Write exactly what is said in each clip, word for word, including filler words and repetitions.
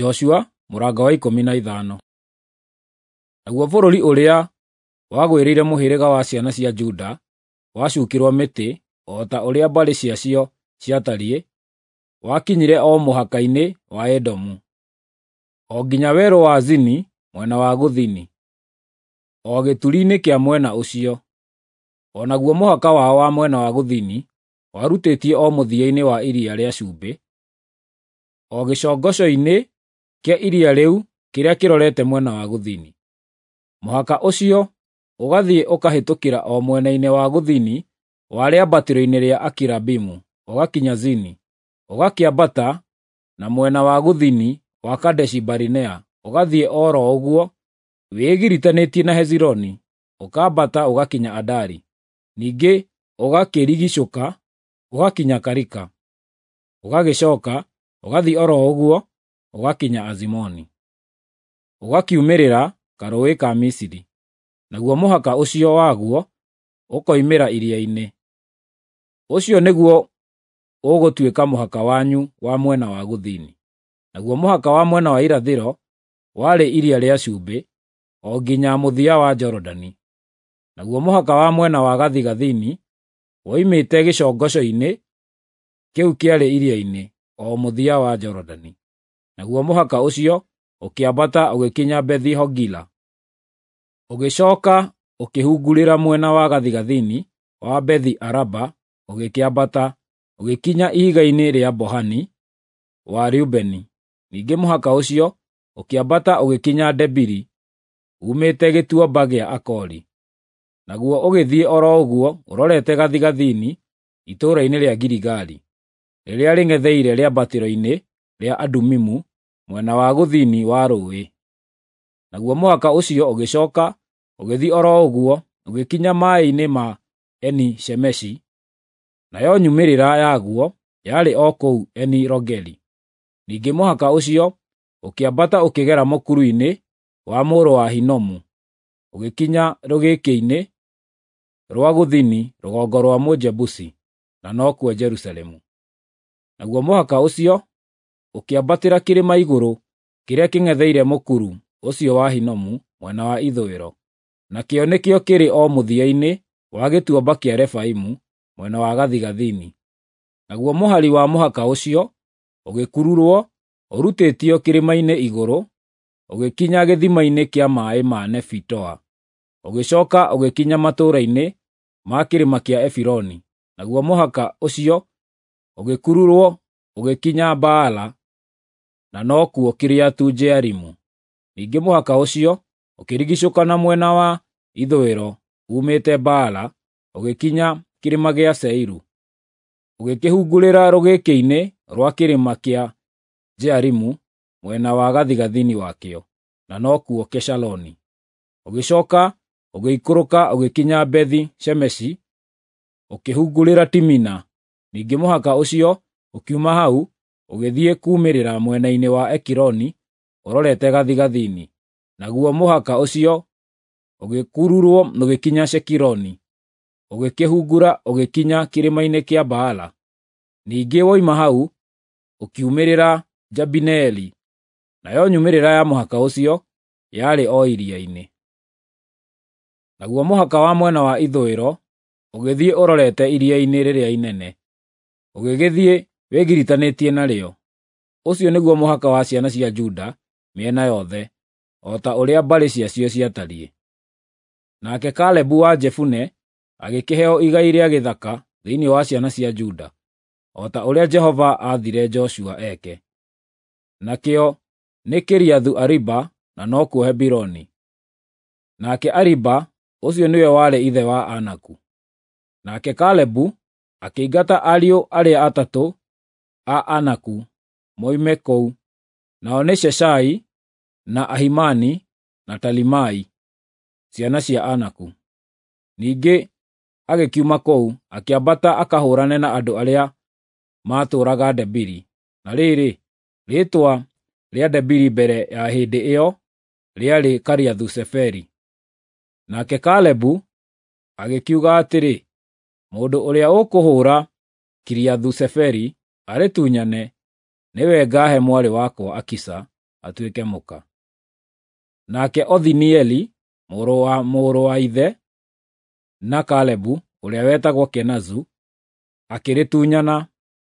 Joshua mũrango wa ikũmi na ithano. Naguo bũrũri ũrĩa wagwĩrĩire mũhĩrĩga wa ciana cia Juda wacukĩrwo mĩtĩ o ta ũrĩa mbarĩ ciacio ciatariĩ, wakinyire o mũhaka-inĩ wa Edomu, o nginya werũ wa Zini mwena wa gũthini, o gĩturi-inĩ kĩa mwena ũcio. O naguo mũhaka wao wa mwena wa gũthini warutĩtie o mũthia-inĩ wa Iria rĩa Cumbĩ, o gĩcongoco-inĩ kĩa iria rĩu kĩrĩa kĩrorete mwena wa gũthini. Mũhaka ũcio ũgathiĩ ũkahĩtũkĩra o mwena-inĩ wa gũthini wa rĩambatĩro-inĩ rĩa Akirabimu ũgakinya Zini, ũgakĩambata na mwena wa gũthini wa Kadeshi-Barinea ũgathiĩ o ro ũguo wĩgiritanĩtie na Hezironi, ũkambata ũgakinya Adari, ningĩ ũgakĩrigiicũka ũgakinya Karika, ũgagĩcooka ũgathiĩ o ro ũguo ũgakinya Azimoni, ũgakiumĩrĩra Karũũĩ ka Misiri, naguo mũhaka ũcio waguo ũkoimĩra iria-inĩ. Ũcio nĩguo ũgũtuĩka mũhaka wanyu wa mwena wa gũthini. Naguo mũhaka wa mwena wa irathĩro warĩ Iria rĩa Cumbĩ, o nginya mũthia wa Jorodani. Naguo mũhaka wa mwena wa gathigathini woimĩte gĩcongoco-inĩ kĩu kĩarĩ iria-inĩ, o mũthia wa Jorodani. Naguo mũhaka ũcio ũkĩambata ũgĩkinya Bethi-Hogila, ũgĩcooka ũkĩhungurĩra mwena wa gathigathini wa Bethi-Araba, ũgĩkĩambata ũgĩkinya ihiga-inĩ rĩa Bohani wa Rubeni. Ningĩ mũhaka ũcio ũkĩambata ũgĩkinya Debiri uumĩte Gĩtuamba gĩa Akori, naguo ũgĩthiĩ o ro ũguo ũrorete gathigathini itũũra-inĩ rĩa Giligali, rĩrĩa rĩng'etheire rĩambatĩro-inĩ rĩa Adumimu mwena wa gũthini wa rũũĩ. Naguo mũhaka ũcio ũgĩcooka ũgĩthiĩ o ro ũguo ũgĩkinya maaĩ-inĩ ma Eni-Shemeshi, nayo nyumĩrĩra yaguo yarĩ o kũu Eni-Rogeli. Ningĩ mũhaka ũcio ũkĩambata ũkĩgera mũkuru-inĩ wa mũrũ wa Hinomu, ũgĩkinya rũgĩkĩ-inĩ rwa gũthini rũgongo rwa Mũjebusi, na nokuo Jerusalemu. Naguo mũhaka ũcio ũkĩambatĩra kĩrĩma igũrũ kĩrĩa kĩng'etheire mũkuru ũcio wa Hinomu mwena wa ithũĩro, nakĩo nĩkĩo kĩrĩ o mũthia-inĩ wa gĩtuamba kĩa Refaimu mwena wa gathigathini. Naguo mũhari wa mũhaka ũcio ũgĩkururwo ũrutĩtio kĩrĩma-inĩ igũrũ, ũgĩkinya gĩthima-inĩ kĩa maaĩ ma Nefitoa, ũgĩcooka ũgĩkinya matũũra-inĩ ma kĩrĩma kĩa Efironi. Naguo mũhaka ũcio ũgĩkururwo ũgĩkinya Baala, na nokuo Kiriathu-Jearimu. Ningĩ mũhaka ũcio ũkĩrigiicũka na mwena wa ithũĩro uumĩte Baala ũgĩkinya kĩrĩma gĩa Seiru, ũgĩkĩhungurĩra rũgĩkĩ-inĩ rwa kĩrĩma kĩa Jearimu mwena wa gathigathini wakĩo, na nokuo Keshaloni. Ũgĩcooka ũgĩikũrũka ũgĩkinya Bethi-Shemeshi, ũkĩhungurĩra Timina. Ningĩ mũhaka ũcio ũkiuma hau ũgĩthiĩ kuumĩrĩra mwena-inĩ wa Ekironi ũrorete gathigathini. Naguo mũhaka ũcio ũgĩkururwo ũgĩkinya Shekironi, ũgĩkĩhungura ũgĩkinya kĩrĩma-inĩ kĩa Baala. Ningĩ woima hau ũkiumĩrĩra Jabineeli, nayo nyumĩrĩra ya mũhaka ũcio yarĩ o iria-inĩ. Naguo mũhaka wa mwena wa ithũĩro ũgĩthiĩ ũrorete iria-inĩ rĩrĩa inene, ũgĩgĩthiĩ wĩgiritanĩtie narĩo. Ũcio nĩguo mũhaka wa ciana cia Juda mĩena yothe, o ta ũrĩa mbarĩ ciacio ciatariĩ. Nake Kalebu wa Jefune agĩkĩheo igai rĩa gĩthaka thĩinĩ wa ciana cia Juda, o ta ũrĩa Jehova aathire Joshua eke. Nakĩo nĩ Kiriathu-Ariba na nokuo Hebironi. Nake Ariba ũcio nĩwe warĩ ithe wa Anaku. Nake Kalebu akĩingata ariũ arĩa atatũ a Anaku moime kũu, nao nĩ Sheshai, na Ahimani na Talimai, ciana cia Anaku. Ningĩ agĩkiuma kũu, akĩambata akahũũrane na andũ arĩa maatũũraga Debiri. Na rĩrĩ, rĩĩtwa rĩa Debiri mbere ya hĩndĩ ĩyo rĩarĩ Kiriathu-Seferi. Nake Kalebu agĩkiuga atĩrĩ, “Mũndũ ũrĩa ũkũhũũra Kiriathu-Seferi arĩtunyane, nĩwe ngaahe mwarĩ wakwa Akisa atuĩke mũka. Nake Othinieli, mũrũ wa mũrũ wa ithe na Kalebu, ũrĩa wetagwo Kenazu, akĩrĩtunyana,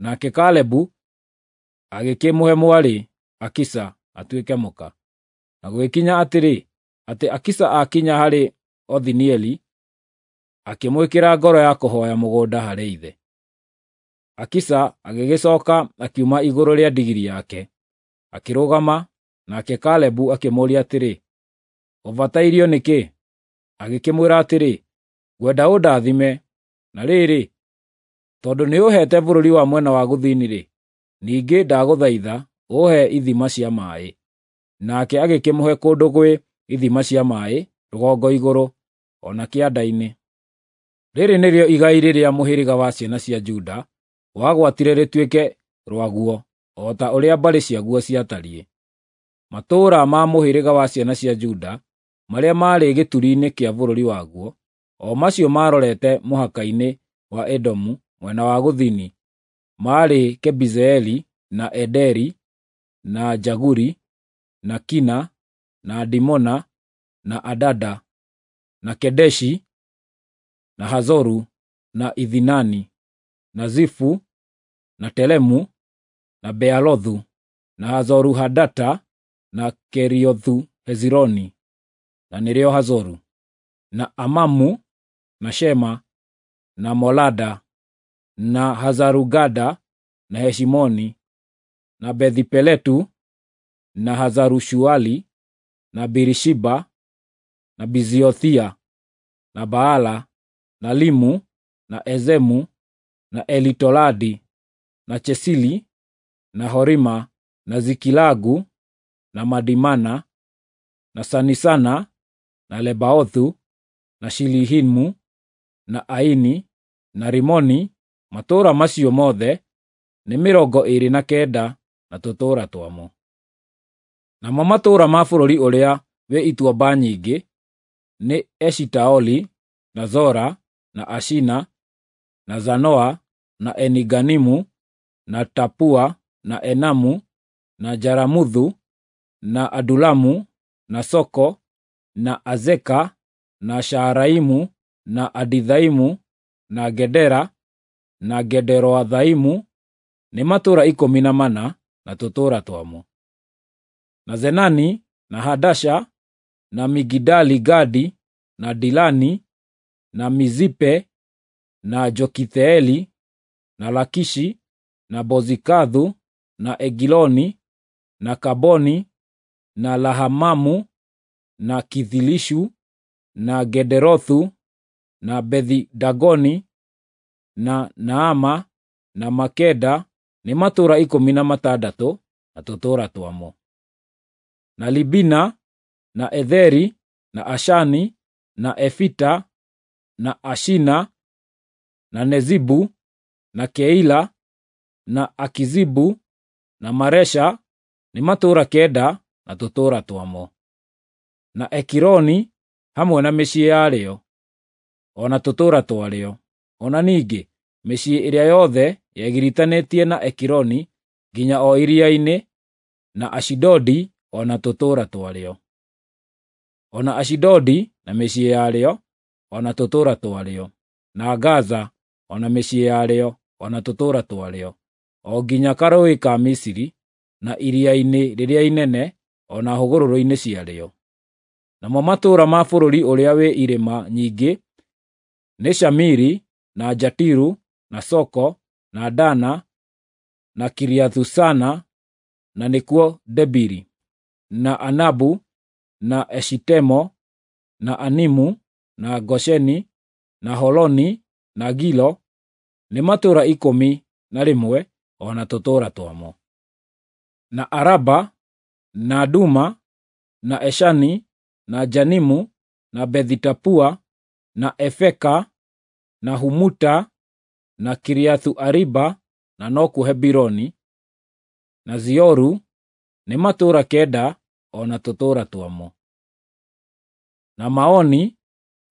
nake Kalebu agĩkĩmũhe mwarĩ Akisa atuĩke mũka. Na gũgĩkinya atĩrĩ, atĩ Akisa aakinya harĩ Othinieli, akĩmwĩkĩra ngoro ya kũhooya mũgũnda harĩ ithe. Akisa agĩgĩcooka akiuma igũrũ rĩa ndigiri yake, akĩrũgama, nake Kalebu akĩmũũria atĩrĩ, “Ũbatairio nĩ kĩ?” Agĩkĩmwĩra atĩrĩ, “Ngwenda ũndathime, na rĩrĩ, tondũ nĩũũheete bũrũri wa mwena wa gũthini-rĩ, ningĩ ndagũthaitha ũũhe ithima cia maaĩ.” Nake agĩkĩmũhe kũndũ gwĩ ithima cia maaĩ rũgongo igũrũ, o na kĩanda-inĩ. Rĩĩrĩ nĩrĩo igai rĩrĩa mũhĩrĩga wa ciana cia Juda wagwatire rĩtuĩke rwaguo, o ta ũrĩa mbarĩ ciaguo ciatariĩ. Matũũra ma mũhĩrĩga wa ciana cia Juda marĩa maarĩ gĩturi-inĩ kĩa bũrũri waguo, o macio maarorete mũhaka-inĩ wa Edomu mwena wa gũthini, maarĩ Kebizeeli, na Ederi, na Jaguri, na Kina, na Dimona, na Adada, na Kedeshi, na Hazoru, na Ithinani, na Zifu, na Telemu, na Bealothu, na Hazoru-Hadata, na Keriothu-Hezironi, na nĩrĩo Hazoru, na Amamu, na Shema, na Molada, na Hazarugada, na Heshimoni, na Bethi-Peletu, na Hazaru-Shuali, na Birishiba, na Biziothia, na Baala, na Limu, na Ezemu, na Elitoladi, na Chesili, na Horima, na Zikilagu, na Madimana, na Sanisana, na Lebaothu, na Shilihimu, na Aini, na Rimoni. Matũũra macio mothe nĩ mĩrongo ĩĩrĩ na kenda na tũtũũra twamo. Namo matũũra ma bũrũri ũrĩa wĩ ituamba nyingĩ nĩ Eshitaoli, na Zora, na Ashina, na Zanoa, na Eniganimu, na Tapua, na Enamu, na Jaramuthu, na Adulamu, na Soko, na Azeka, na Shaaraimu, na Adithaimu, na Gedera, na Gederoathaimu, nĩ matũũra ikũmi na mana na tũtũũra twamo. Na Zenani, na Hadasha, na Migidali-Gadi, na Dilani, na Mizipe, na Jokitheeli, na Lakishi, na Bozikathu, na Egiloni, na Kaboni, na Lahamamu, na Kithilishu, na Gederothu, na Bethi-Dagoni, na Naama, na Makeda, nĩ matũũra ikũmi na matandatũ na tũtũũra twamo. Na Libina, na Etheri, na Ashani, na Efita, na Ashina, na Nezibu, na Keila, na Akizibu, na Maresha, nĩ matũũra kenda na tũtũũra twamo. Na Ekironi hamwe na mĩciĩ yarĩo, o na tũtũũra twarĩo. O na ningĩ mĩciĩ ĩrĩa yothe yegiritanĩtie na Ekironi nginya o iria-inĩ, na Ashidodi o na tũtũũra twarĩo. O na Ashidodi na mĩciĩ yarĩo, o na tũtũũra twarĩo, na Gaza o na mĩciĩ yarĩo, o na tũtũũra twarĩo, o nginya karũũĩ ka Misiri, na iria-inĩ rĩrĩa inene, o na hũgũrũrũ-inĩ ciarĩo. Namo matũũra ma bũrũri ũrĩa wĩ irĩma nyingĩ nĩ Shamiri, na Jatiru, na Soko, na Dana, na Kiriathu-Sana, na nĩkuo Debiri, na Anabu, na Eshitemo, na Animu, na Gosheni, na Holoni, na Gilo, nĩ matũũra ikũmi na rĩmwe o na tũtũũra twamo. Na Araba, na Duma, na Eshani, na Janimu, na Bethi-Tapua, na Efeka, na Humuta, na Kiriathu-Ariba, na nokuo Hebironi, na Zioru, nĩ matũũra kenda o na tũtũũra twamo. Na Maoni,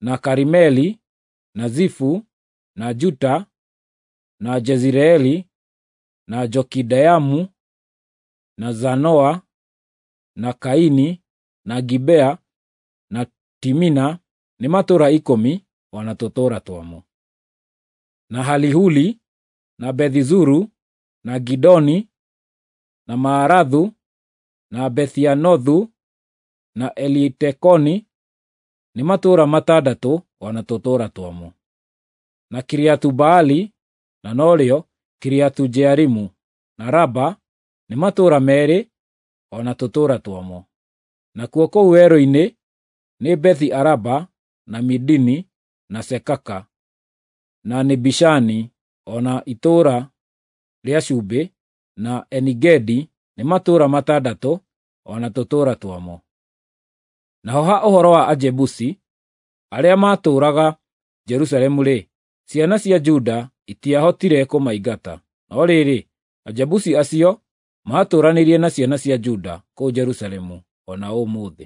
na Karimeli, na Zifu, na Juta, na Jezireeli, na Jokideamu, na Zanoa, na Kaini, na Gibea, na Timina, nĩ matũũra ikũmi o na tũtũũra twamo. Na Halihuli, na Bethizuru, na Gidoni, na Maarathu, na Bethianothu, na Elitekoni, nĩ matũũra matandatũ o na tũtũũra twamo. Na Kiriathu-Baali, na norĩo Kiriathu-Jearimu, na Raba, nĩ matũũra meerĩ o na tũtũũra twamo. Nakuo kũu werũ-inĩ nĩ Bethi-Araba, na Midini, na Sekaka, na Nibishani, o na itũũra rĩa Cumbĩ, na Eni-Gedi, nĩ matũũra matandatũ o na tũtũũra twamo. Naho ha ũhoro wa Ajebusi arĩa maatũũraga Jerusalemu-rĩ, ciana cia Juda itiahotire kũmaingata. No rĩrĩ, Ajebusi acio maatũũranirie na ciana cia Juda kũu Jerusalemu o na ũmũthĩ.